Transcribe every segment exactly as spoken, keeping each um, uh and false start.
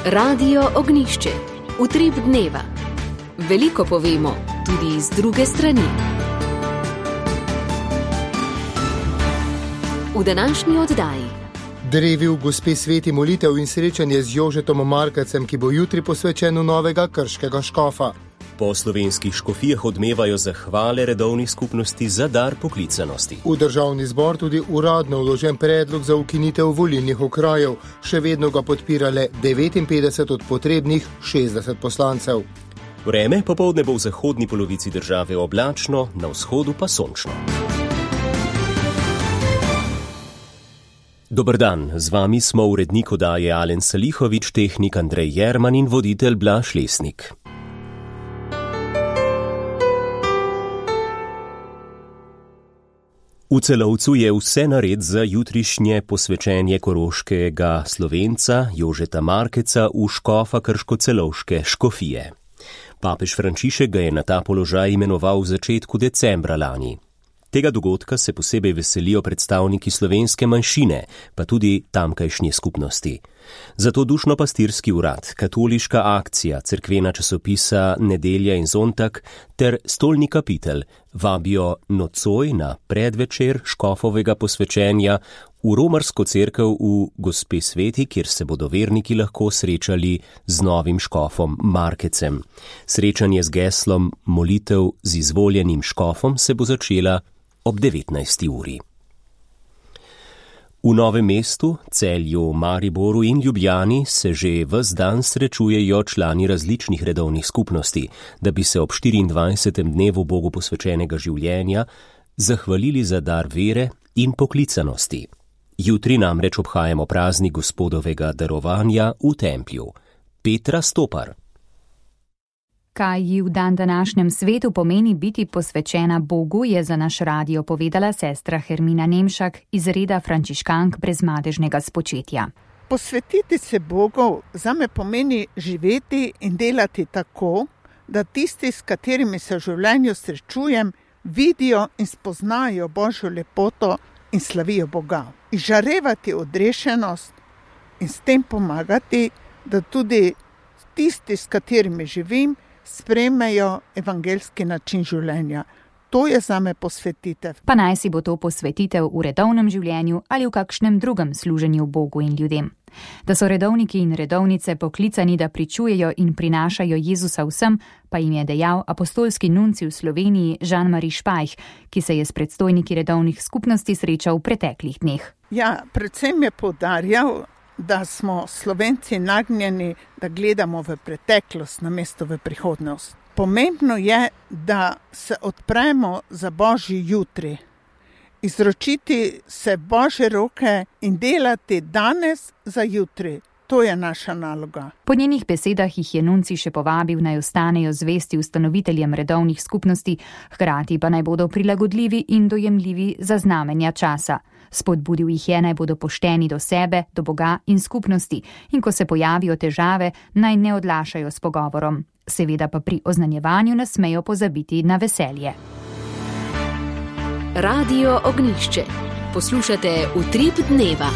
Radio Ognišče, utrip dneva. Veliko povemo, tudi z druge strani. V današnji oddaji. Drevi v Gospe sveti molitev in srečanje z Jožetom Markecem, ki bo jutri posvečen v novega krškega škofa. Po slovenskih škofijah odmevajo zahvale redovnih skupnosti za dar poklicanosti. V državni zbor tudi uradno vložen predlog za ukinitev volilnih okrajev. Še vedno ga podpira le devetinpetdeset od potrebnih šestdeset poslancev. Vreme popoldne bo v zahodni polovici države oblačno, na vzhodu pa sončno. Dober dan, z vami smo urednik oddaje Alen Salihovič, tehnik Andrej Jerman in voditelj Blaž Lesnik. V Celovcu je vse nared za jutrišnje posvečenje koroškega Slovenca Jožeta Markeca v škofa krško-celovške škofije. Papež Frančišek ga je na ta položaj imenoval v začetku decembra lani. Tega dogodka se posebej veselijo predstavniki slovenske manjšine, pa tudi tamkajšnje skupnosti. Zato dušno-pastirski urad, katoliška akcija, cerkvena časopisa Nedelja in Zontak ter stolni kapitel vabijo nocoj na predvečer škofovega posvečenja v romarsko cerkev v Gospe sveti, kjer se bodo verniki lahko srečali z novim škofom Markecem. Srečanje z geslom molitev z izvoljenim škofom se bo začela ob devetnajsti uri. V Novem mestu, Celju, Mariboru in Ljubljani se že ves dan srečujejo člani različnih redovnih skupnosti, da bi se ob štiriindvajsetem dnevu Bogu posvečenega življenja zahvalili za dar vere in poklicanosti. Jutri namreč obhajamo praznik Gospodovega darovanja v templju. Petra Stopar. Kaj ji v dan današnjem svetu pomeni biti posvečena Bogu, je za naš radio povedala sestra Hermina Nemšak iz reda frančiškank brezmadežnega spočetja. Posvetiti se Bogu zame pomeni živeti in delati tako, da tisti, s katerimi se v življenju srečujem, vidijo in spoznajo Božjo lepoto in slavijo Boga. Izžarevati odrešenost in s tem pomagati, da tudi tisti, s katerimi živim, sprejmejo evangeljski način življenja. To je zame posvetitev. Pa naj si bo to posvetitev v redovnem življenju ali v kakšnem drugem služenju Bogu in ljudem. Da so redovniki in redovnice poklicani, da pričujejo in prinašajo Jezusa vsem, pa jim je dejal apostolski nunci v Sloveniji Jean-Marie Špajh, ki se je s predstojniki redovnih skupnosti srečal v preteklih dneh. Ja, predvsem je poudarjal, da smo Slovenci nagnjeni, da gledamo v preteklost namesto v prihodnost. Pomembno je, da se odpremo za Božji jutri, izročiti se Božje roke in delati danes za jutri. To je naša naloga. Po njenih besedah jih je nunci še povabil, naj ostanejo zvesti ustanoviteljem redovnih skupnosti, hkrati pa naj bodo prilagodljivi in dojemljivi za znamenja časa. Spodbudil jih je, naj bodo pošteni do sebe, do Boga in skupnosti in ko se pojavijo težave, naj ne odlašajo s pogovorom. Seveda pa pri oznanjevanju ne smejo pozabiti na veselje. Radio Ognišče. Poslušate Utrip dneva.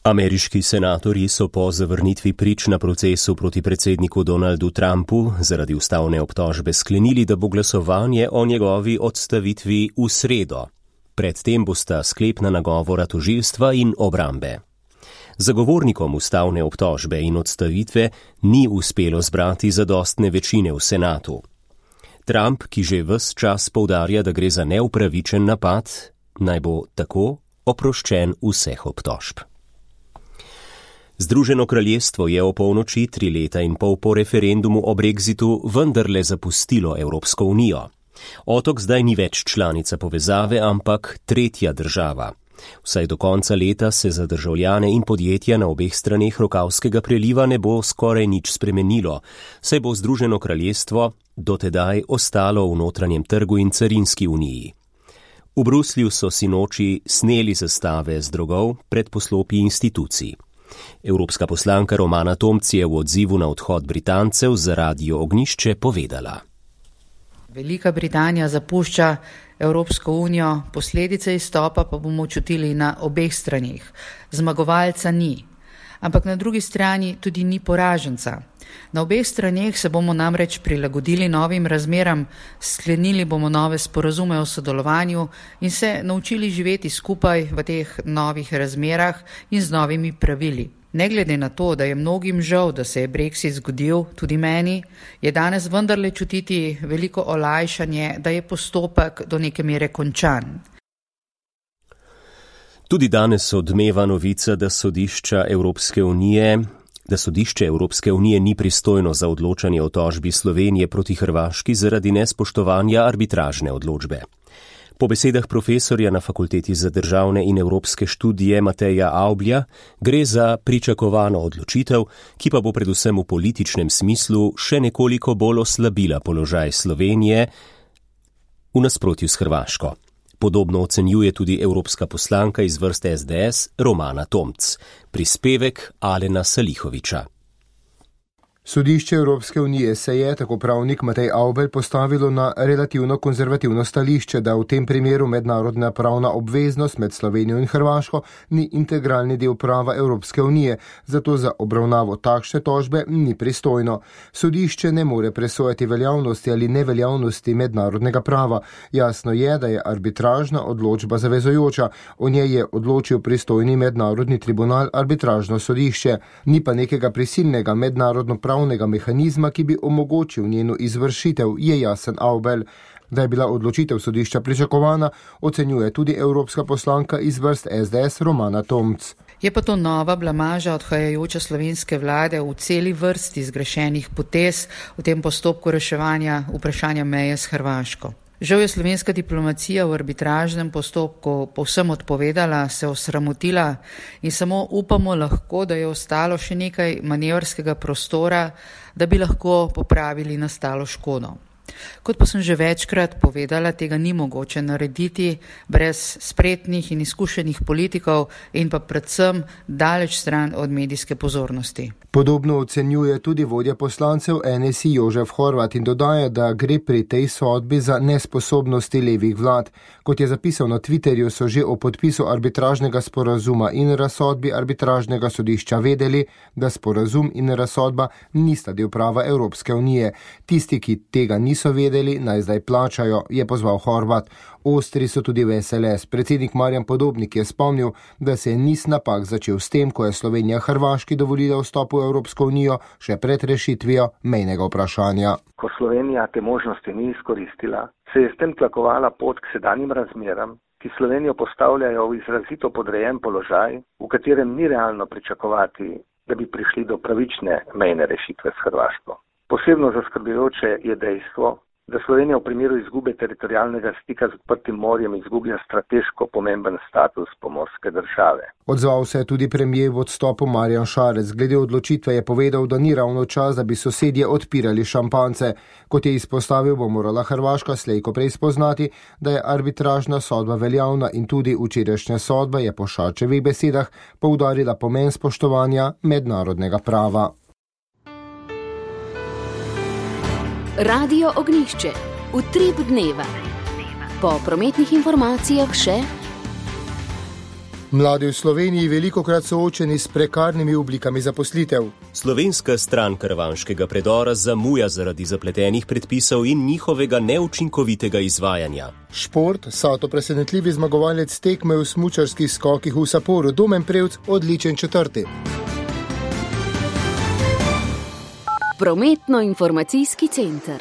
Ameriški senatorji so po zavrnitvi prič na procesu proti predsedniku Donaldu Trumpu zaradi ustavne obtožbe sklenili, da bo glasovanje o njegovi odstavitvi v sredo. Predtem bosta sklepna nagovora tožilstva in obrambe. Zagovornikom ustavne obtožbe in odstavitve ni uspelo zbrati zadostne večine v senatu. Trump, ki že ves čas poudarja, da gre za neupravičen napad, naj bo tako oproščen vseh obtožb. Združeno kraljestvo je o polnoči tri leta in pol po referendumu o Brexitu vendarle zapustilo Evropsko unijo. Otok zdaj ni več članica povezave, ampak tretja država. Vsaj do konca leta se za državljane in podjetja na obeh straneh Rokavskega preliva ne bo skoraj nič spremenilo, saj bo Združeno kraljestvo dotedaj ostalo v notranjem trgu in carinski uniji. V Bruslju so sinoči sneli zastave z drogov pred poslopji institucij. Evropska poslanka Romana Tomc je v odzivu na odhod Britancev za Radio Ognišče povedala. Velika Britanija zapušča Evropsko unijo, posledice izstopa pa bomo čutili na obeh straneh. Zmagovalca ni, ampak na drugi strani tudi ni poraženca. Na obeh straneh se bomo namreč prilagodili novim razmeram, sklenili bomo nove sporazume o sodelovanju in se naučili živeti skupaj v teh novih razmerah in z novimi pravili. Ne glede na to, da je mnogim žal, da se je Brexit zgodil, tudi meni, je danes vendarle čutiti veliko olajšanje, da je postopek do neke mere končan. Tudi danes odmeva novica, da sodišča Evropske unije, da sodišče Evropske unije ni pristojno za odločanje o tožbi Slovenije proti Hrvaški zaradi nespoštovanja arbitražne odločbe. Po besedah profesorja na Fakulteti za državne in evropske študije Mateja Avblja gre za pričakovano odločitev, ki pa bo predvsem v političnem smislu še nekoliko bolj oslabila položaj Slovenije v nasprotju s Hrvaško. Podobno ocenjuje tudi evropska poslanka iz vrste S D S Romana Tomc. Prispevek Alena Salihoviča. Sodišče Evropske unije se je, tako pravnik Matej Avbelj, postavilo na relativno konzervativno stališče, da v tem primeru mednarodna pravna obveznost med Slovenijo in Hrvaško ni integralni del prava Evropske unije, zato za obravnavo takšne tožbe ni pristojno. Sodišče ne more presojati veljavnosti ali neveljavnosti mednarodnega prava. Jasno je, da je arbitražna odločba zavezujoča. O njej je odločil pristojni mednarodni tribunal arbitražno sodišče. Ni pa nekega prisilnega mednarodno pravnega mehanizma, ki bi omogočil njeno izvršitev, je jasen Avbelj. Da je bila odločitev sodišča pričakovana, ocenjuje tudi evropska poslanka iz vrst S D S Romana Tomc. Je pa to nova blamaža odhajajoče slovenske vlade v celi vrsti zgrešenih potez v tem postopku reševanja vprašanja meje s Hrvaško. Žal je slovenska diplomacija v arbitražnem postopku povsem odpovedala, se osramotila in samo upamo lahko, da je ostalo še nekaj manevrskega prostora, da bi lahko popravili nastalo škodo. Kot pa sem že večkrat povedala, tega ni mogoče narediti brez spretnih in izkušenih politikov in pa predvsem daleč stran od medijske pozornosti. Podobno ocenjuje tudi vodja poslancev N S I Jožef Horvat in dodaja, da gre pri tej sodbi za nesposobnosti levih vlad. Kot je zapisal na Twitterju, so že o podpisu arbitražnega sporazuma in razsodbi arbitražnega sodišča vedeli, da sporazum in razsodba nista del prava Evropske unije. Tisti, ki tega niso vedeli, naj zdaj plačajo, je pozval Horvat. Ostri so tudi v S L S. Predsednik Marjan Podobnik je spomnil, da se je niz napak začel s tem, ko je Slovenija Hrvaški dovolila vstop v Evropsko unijo še pred rešitvijo mejnega vprašanja. Ko Slovenija te možnosti ni izkoristila, se je s tem tlakovala pot k sedanjim razmeram, ki Slovenijo postavljajo v izrazito podrejen položaj, v katerem ni realno pričakovati, da bi prišli do pravične mejne rešitve s Hrvaško. Posebno zaskrbljujoče je dejstvo, da Slovenija v primeru izgube teritorialnega stika z odprtim morjem izgublja strateško pomemben status pomorske države. Odzval se je tudi premier v odstopu Marjan Šarec. Glede odločitve je povedal, da ni ravno čas, da bi sosedje odpirali šampance. Kot je izpostavil, bo morala Hrvaška slej ko prej spoznati, da je arbitražna sodba veljavna in tudi včerajšnja sodba je po Šarčevih besedah poudarila pomen spoštovanja mednarodnega prava. Radio Ognjišče. Utrip dneva. Po prometnih informacijah še. Mladi v Sloveniji velikokrat soočeni s prekarnimi oblikami zaposlitev. Slovenska stran karavanškega predora zamuja zaradi zapletenih predpisov in njihovega neučinkovitega izvajanja. Šport, Sato presenetljivi zmagovalec tekme v smučarskih skokih v Saporu, Domen Prevc odličen četrti. Prometno-informacijski center.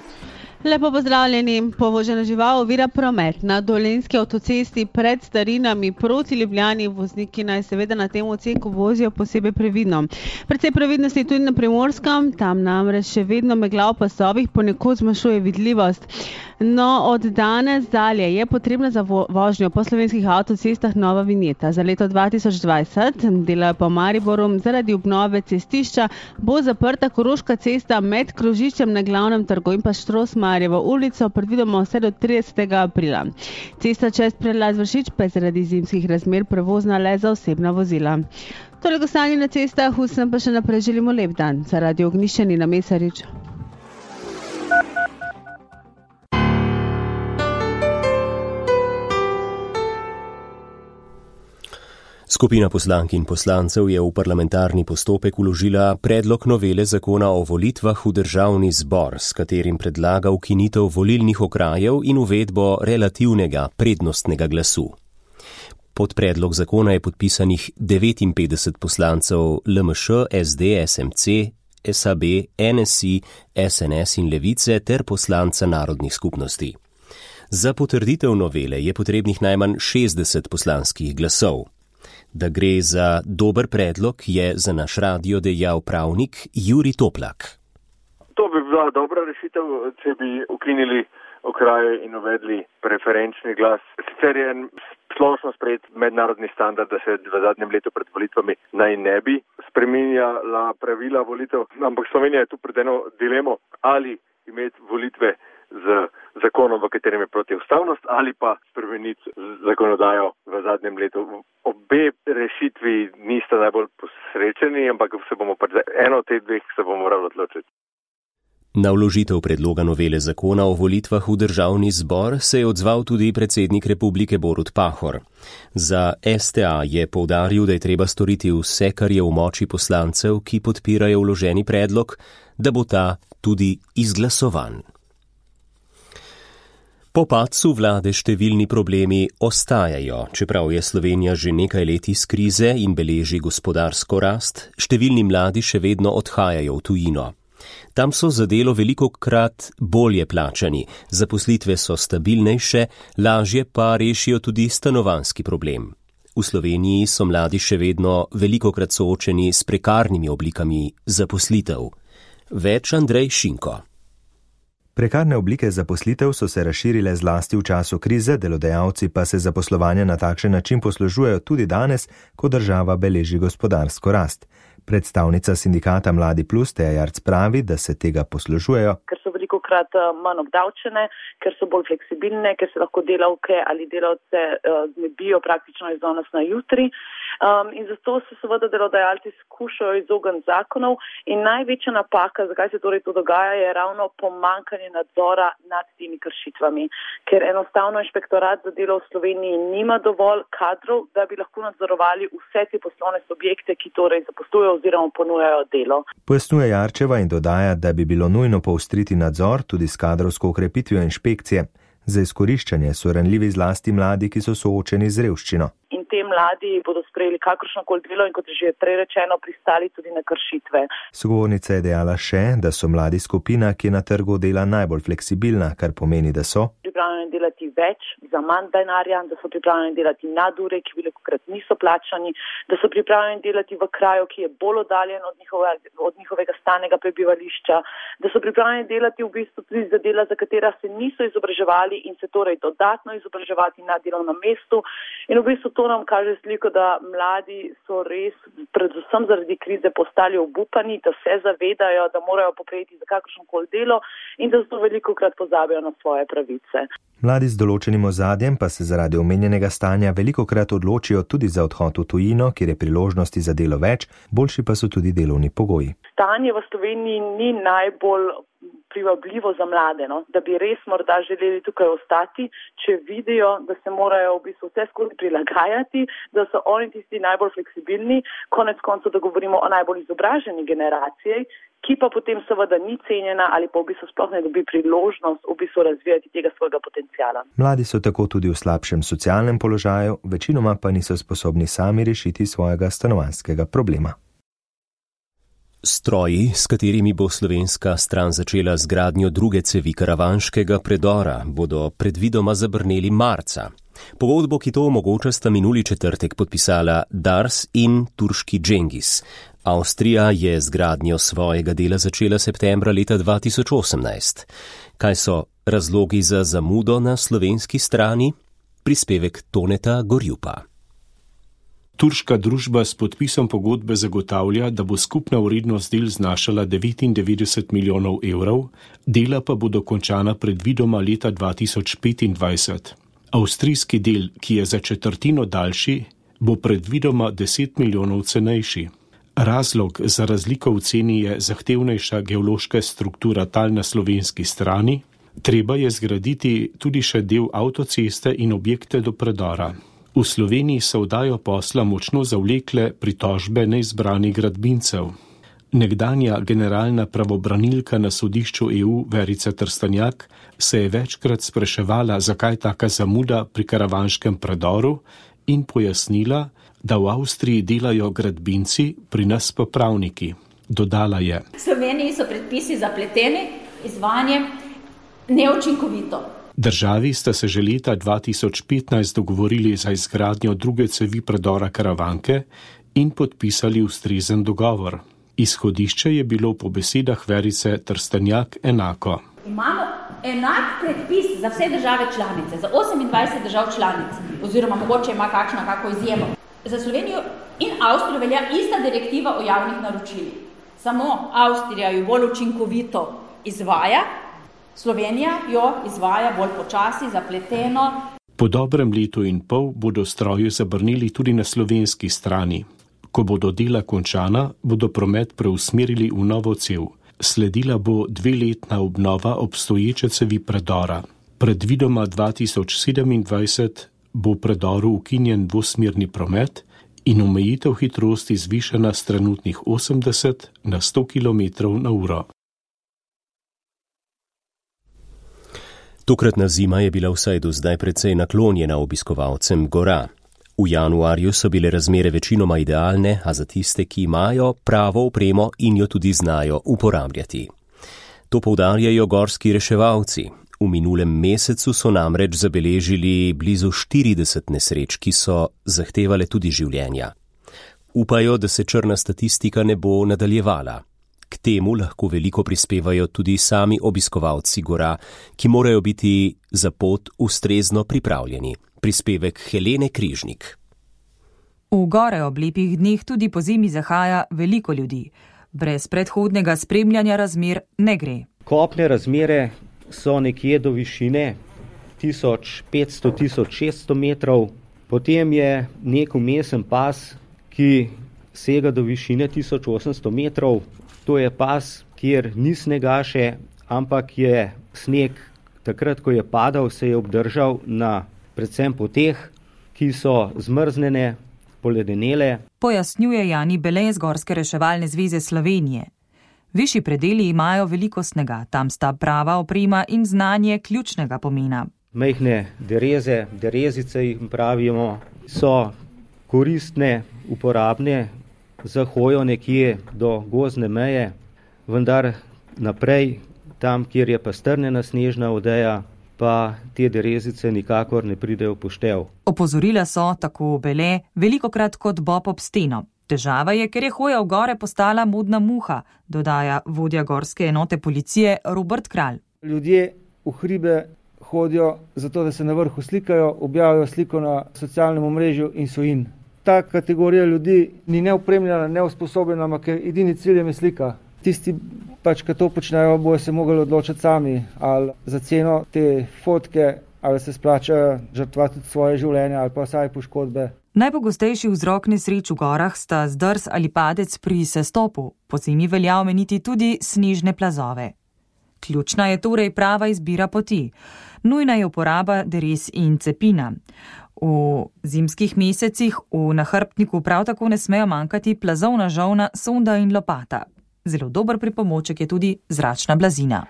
Lepo pozdravljeni. Povožena žival ovira promet na Dolenjski avtocesti pred Starinami proti Ljubljani. Vozniki naj seveda na tem odseku vozijo posebej previdno. Predvsej previdnosti tudi na Primorskem, tam namreč še vedno megla v pasovih ponekod zmanjšuje vidljivost. No, od danes dalje je potrebna za vožnjo po slovenskih avtocestah nova vinjeta. Za leto dva tisoč dvajset delajo po Mariboru zaradi obnove cestišča bo zaprta Koroška cesta med krožiščem na Glavnem trgu in pa Štrosmarjevo ulico, predvidoma vse do tridesetega aprila. Cesta čez predlaz Vršič pa je zaradi zimskih razmer prevozna le za osebna vozila. Toliko stanje na cestah, vsem pa še naprej želimo lep dan. Za Radio Ognjišče Nina Mesarič. Skupina poslank in poslancev je v parlamentarni postopek vložila predlog novele zakona o volitvah v državni zbor, s katerim predlaga ukinitev volilnih okrajev in uvedbo relativnega prednostnega glasu. Pod predlog zakona je podpisanih devetinpetdeset poslancev L M Š, S D, S M C, S A B, N S I, S N S in Levice ter poslanca narodnih skupnosti. Za potrditev novele je potrebnih najmanj šestdeset poslanskih glasov. Da gre za dober predlog, je za naš radio dejal pravnik Jurij Toplak. To bi bila dobra rešitev, če bi ukinili okraje in uvedli preferenčni glas. Sicer je splošno sprejet mednarodni standard, da se v zadnjem letu pred volitvami naj ne bi spreminjala pravila volitev, ampak Slovenija je tu pred eno dilemo, ali imeti volitve z zakonom, v katerem je protiustavnost, ali pa spremeniti zakonodajo v zadnjem letu. Obe rešitvi nista najbolj posrečeni, ampak se bomo pač za eno od teh dveh se bomo morali odločiti. Na vložitev predloga novele zakona o volitvah v državni zbor se je odzval tudi predsednik republike Borut Pahor. Za S T A je poudaril, da je treba storiti vse, kar je v moči poslancev, ki podpirajo vloženi predlog, da bo ta tudi izglasovan. Po padcu vlade številni problemi ostajajo, čeprav je Slovenija že nekaj let iz krize in beleži gospodarsko rast, številni mladi še vedno odhajajo v tujino. Tam so za delo velikokrat bolje plačani, zaposlitve so stabilnejše, lažje pa rešijo tudi stanovanjski problem. V Sloveniji so mladi še vedno velikokrat soočeni s prekarnimi oblikami zaposlitev. Več Andrej Šinko. Prekarne oblike zaposlitev so se razširile zlasti v času krize, delodajalci pa se zaposlovanja na takšen način poslužujejo tudi danes, ko država beleži gospodarsko rast. Predstavnica sindikata Mladi Plus Teja Jarc pravi, da se tega poslužujejo. Ker so velikokrat manj obdavčene, ker so bolj fleksibilne, ker se lahko delavke ali delavce znebijo praktično iz danes na jutri. Um, in zato se seveda delodajalci skušajo izogniti zakonov in največja napaka, zakaj se torej to dogaja, je ravno pomanjkanje nadzora nad temi kršitvami, ker enostavno inšpektorat za delo v Sloveniji nima dovolj kadrov, da bi lahko nadzorovali vse te poslovne subjekte, ki torej zaposlujejo oziroma ponujajo delo. Pojasnjuje Jarčeva in dodaja, da bi bilo nujno poostriti nadzor tudi s kadrovsko ukrepitvijo inšpekcije. Za izkoriščanje so ranljivi zlasti mladi, ki so soočeni z revščino. In te mladi bodo sprejeli kakršnokoli delo in kot je že prej rečeno, pristali tudi na kršitve. Sogovornica je dejala še, da so mladi skupina, ki je na trgu dela najbolj fleksibilna, kar pomeni, da so pripravljeni delati več za manj denarja, da so pripravljeni delati nadure, ki velikokrat niso plačani, da so pripravljeni delati v kraju, ki je bolj oddaljen od, njihove, od njihovega stalnega prebivališča, da so pripravljeni delati v bistvu tudi za dela, za katera se niso izobraževali in se torej dodatno izobraževati na delovnem mestu. In v bistvu to nam kaže sliko, da mladi so res, predvsem zaradi krize, postali obupani, da se zavedajo, da morajo poprejeti za kakršnokoli delo in da zato velikokrat pozabijo na svoje pravice. Mladi z določenim ozadjem pa se zaradi omenjenega stanja velikokrat odločijo tudi za odhod v tujino, kjer je priložnosti za delo več, boljši pa so tudi delovni pogoji. Stanje v Sloveniji ni najbolj privabljivo za mlade, no? Da bi res morda želeli tukaj ostati, če vidijo, da se morajo v bistvu vse skozi prilagajati, da so oni tisti najbolj fleksibilni, konec koncev, da govorimo o najbolj izobraženi generaciji, ki pa potem seveda ni cenjena ali pa v bistvu sploh ne dobi priložnost v bistvu razvijati tega svojega potencijala. Mladi so tako tudi v slabšem socialnem položaju, večinoma pa niso sposobni sami rešiti svojega stanovanjskega problema. Stroji, s katerimi bo slovenska stran začela zgradnjo druge cevi karavanškega predora, bodo predvidoma zabrneli marca. Pogodbo, ki to omogoča, sta minuli četrtek podpisala Dars in turški Džengis. Avstrija je zgradnjo svojega dela začela septembra leta dva tisoč osemnajst. Kaj so razlogi za zamudo na slovenski strani? Prispevek Toneta Gorjupa. Turška družba s podpisom pogodbe zagotavlja, da bo skupna vrednost del znašala devetindevetdeset milijonov evrov, dela pa bodo končana predvidoma leta dva tisoč petindvajset. Avstrijski del, ki je za četrtino daljši, bo predvidoma deset milijonov cenejši. Razlog za razliko v ceni je zahtevnejša geološka struktura tal na slovenski strani, treba je zgraditi tudi še del avtoceste in objekte do predora. V Sloveniji so vdajo posla močno zavlekle pritožbe neizbranih gradbincev. Nekdanja generalna pravobranilka na sodišču E U Verica Trstenjak se je večkrat spraševala, zakaj taka zamuda pri karavanškem predoru in pojasnila, da v Avstriji delajo gradbinci, pri nas pa pravniki. Dodala je: V Sloveniji so predpisi zapleteni, izvajanje neučinkovito. Državi sta se že leta dva tisoč petnajst dogovorili za izgradnjo druge cevi predora Karavanke in podpisali ustrezen dogovor. Izhodišče je bilo po besedah Verice Trstenjak enako. Imamo enak predpis za vse države članice, za osemindvajset držav članic, oziroma mogoče ima kakšno kako izjemo. Za Slovenijo in Avstrijo velja ista direktiva o javnih naročilih. Samo Avstrija jo bolj učinkovito izvaja, Slovenija jo izvaja bolj počasi, zapleteno. Po dobrem letu in pol bodo stroje zabrnili tudi na slovenski strani. Ko bodo dela končana, bodo promet preusmerili v novo cev. Sledila bo dveletna obnova obstoječe cevi predora. Predvidoma dva tisoč sedemindvajset bo predoru ukinjen dvosmerni promet in omejitev hitrosti zvišana s trenutnih osemdeset na sto kilometrov na uro. Tokratna zima je bila vsaj do zdaj precej naklonjena obiskovalcem gora. V januarju so bile razmere večinoma idealne, a za tiste, ki imajo pravo opremo in jo tudi znajo uporabljati. To poudarjajo gorski reševalci. V minulem mesecu so namreč zabeležili blizu štirideset nesreč, ki so zahtevale tudi življenja. Upajo, da se črna statistika ne bo nadaljevala. K temu lahko veliko prispevajo tudi sami obiskovalci gora, ki morajo biti za pot ustrezno pripravljeni. Prispevek Helene Križnik. V gore ob lepih dneh tudi po zimi zahaja veliko ljudi. Brez predhodnega spremljanja razmer ne gre. Kopne razmere so nekje do višine tisoč petsto do tisoč šeststo metrov. Potem je nek vmesen pas, ki sega do višine tisoč osemsto metrov. To je pas, kjer ni snega še, ampak je sneg takrat, ko je padal, se je obdržal na predvsem poteh, ki so zmrznjene, poledenele. Pojasnjuje Jani Bele z Gorske reševalne zveze Slovenije. Višji predeli imajo veliko snega, tam sta prava oprema in znanje ključnega pomena. Majhne dereze, derezice jih pravimo, so koristne, uporabne za hojo nekje do gozdne meje, vendar naprej, tam, kjer je pa strnjena snežna odeja, pa te derezice nikakor ne pridejo v poštev. Opozorila so, tako Bele, velikokrat kot bob ob steno. Težava je, ker je hoja v gore postala modna muha, dodaja vodja gorske enote policije Robert Kralj. Ljudje v hribe hodijo zato, da se na vrhu slikajo, objavijo sliko na socialnem omrežju in so in. Ta kategorija ljudi ni neopremljena, neusposobljena, ampak edini cilj je slika. Tisti, pač, ki to počnejo, bojo se mogli odločiti sami, ali za ceno te fotke, ali se splačajo žrtvati svoje življenje, ali pa vsaj poškodbe. Najpogostejši vzrok nesreč v gorah sta zdrs ali padec pri sestopu. Pozimi velja omeniti tudi snežne plazove. Ključna je torej prava izbira poti. Nujna je uporaba derez in cepina. V zimskih mesecih v nahrbtniku prav tako ne smejo manjkati plazovna žolna, sonda in lopata. Zelo dober pripomoček je tudi zračna blazina.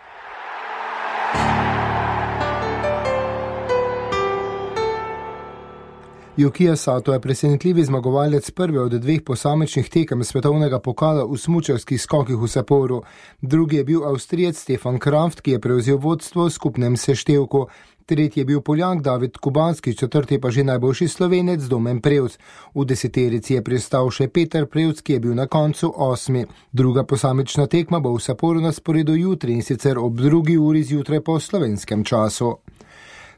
Yukija Sato je presenetljivi zmagovalec prve od dveh posamičnih tekem svetovnega pokala v smučarskih skokih v Saporu. Drugi je bil Avstrijec Stefan Kraft, ki je prevzel vodstvo v skupnem seštevku. Tretji je bil Poljak David Kubanski, četrti pa že najboljši Slovenec Domen Prevc. V deseterici je pristal še Peter Prevc, ki je bil na koncu osmi. Druga posamična tekma bo v Saporu na sporedu jutri in sicer ob drugi uri zjutraj po slovenskem času.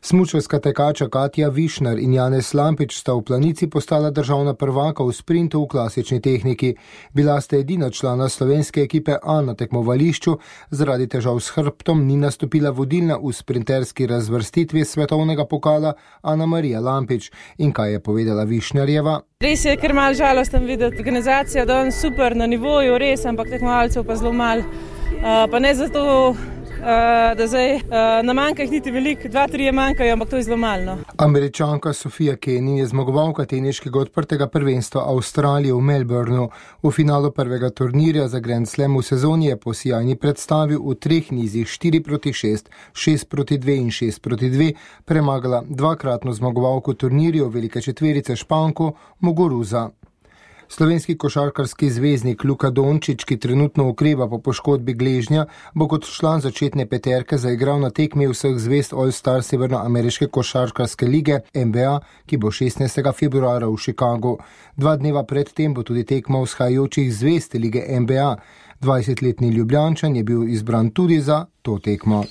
Smučarska tekača Katja Višnar in Janez Lampič sta v Planici postala državna prvaka v sprintu v klasični tehniki. Bila sta edina člana slovenske ekipe A na tekmovališču, zaradi težav s hrbtom ni nastopila vodilna v sprinterski razvrstitvi svetovnega pokala Ana Marija Lampič. In kaj je povedala Višnarjeva? Res je, ker malo žalosten videti. Organizacija danes super na nivoju, res, ampak tekmovalcev pa zelo malo. Uh, pa ne zato, da zdaj na manjka jih niti veliko, dva, trije manjkajo, ampak to je zelo malo. Američanka Sofia Kenin je zmagovalka teniškega odprtega prvenstva Avstralije v Melbourneu. V finalu prvega turnirja za Grand Slam v sezoni je po sijajni predstavi v treh nizih štiri proti šest, šest proti dve in šest proti dve premagala dvakratno zmagovalko turnirjev velike četverice Španko Muguruza. Slovenski košarkarski zvezdnik Luka Dončić, ki trenutno okreva po poškodbi gležnja, bo kot član začetne peterke zaigral na tekmi vseh zvezd All-Star Severnoameriške košarkarske lige N B A, ki bo šestnajstega februarja v Chicagu. Dva dneva predtem bo tudi tekma vzhajajočih zvezd lige N B A. dvajsetletni Ljubljančan je bil izbran tudi za to tekmo.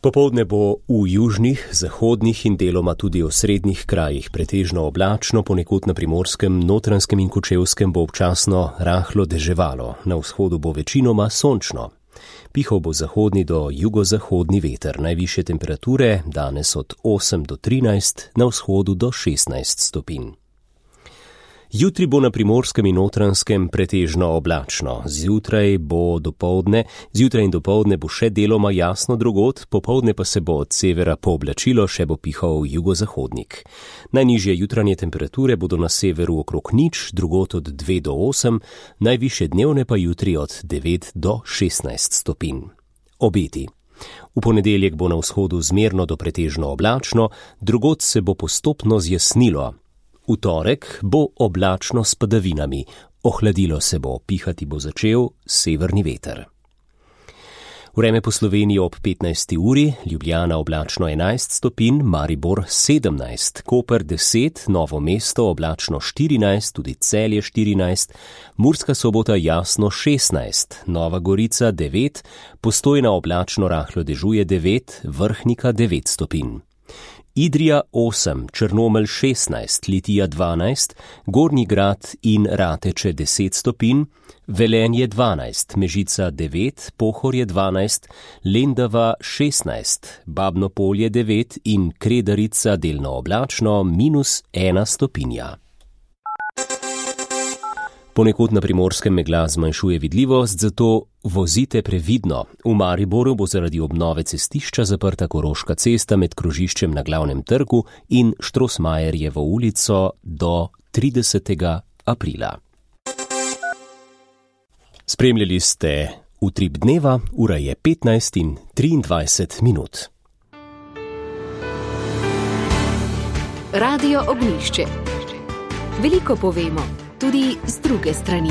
Popoldne bo v južnih, zahodnih in deloma tudi osrednjih krajih pretežno oblačno, ponekod na Primorskem, Notranjskem in Kočevskem bo občasno rahlo deževalo, na vzhodu bo večinoma sončno. Pihal bo zahodni do jugozahodni veter, najvišje temperature danes od osem do trinajst, na vzhodu do šestnajst stopinj. Jutri bo na Primorskem in Notranjskem pretežno oblačno. Zjutraj bo dopoldne, zjutraj in dopoldne bo še deloma jasno drugod, popoldne pa se bo od severa pooblačilo, še bo pihal jugozahodnik. Najnižje jutranje temperature bodo na severu okrog nič, drugod od dve do osem, najvišje dnevne pa jutri od devet do šestnajst stopinj. Obeti. V ponedeljek bo na vzhodu zmerno do pretežno oblačno, drugod se bo postopno zjasnilo. V torek bo oblačno s padavinami, ohladilo se bo, pihati bo začel severni veter. Vreme po Sloveniji ob petnajsti uri, Ljubljana oblačno enajst stopinj, Maribor sedemnajst, Koper deset, Novo mesto oblačno štirinajst, tudi Celje štirinajst, Murska Sobota jasno šestnajst, Nova Gorica devet, Postojna oblačno rahlo dežuje devet, Vrhnika devet stopinj. Idrija osem, Črnomelj šestnajst, Litija dvanajst, Gornji Grad in Rateče deset stopinj, Velenje dvanajst, Mežica devet, Pohorje dvanajst, Lendava šestnajst, Babno Polje devet in Kredarica delno oblačno minus ena stopinja. Ponekod na Primorskem megla zmanjšuje vidljivost, zato vozite previdno. V Mariboru bo zaradi obnove cestišča zaprta Koroška cesta med krožiščem na Glavnem trgu in Štrosmajerjevo ulico do tridesetega aprila. Spremljali ste Utrip dneva, ura je petnajst in triindvajset minut. Radio Ognjišče. Veliko povemo, tudi z druge strani.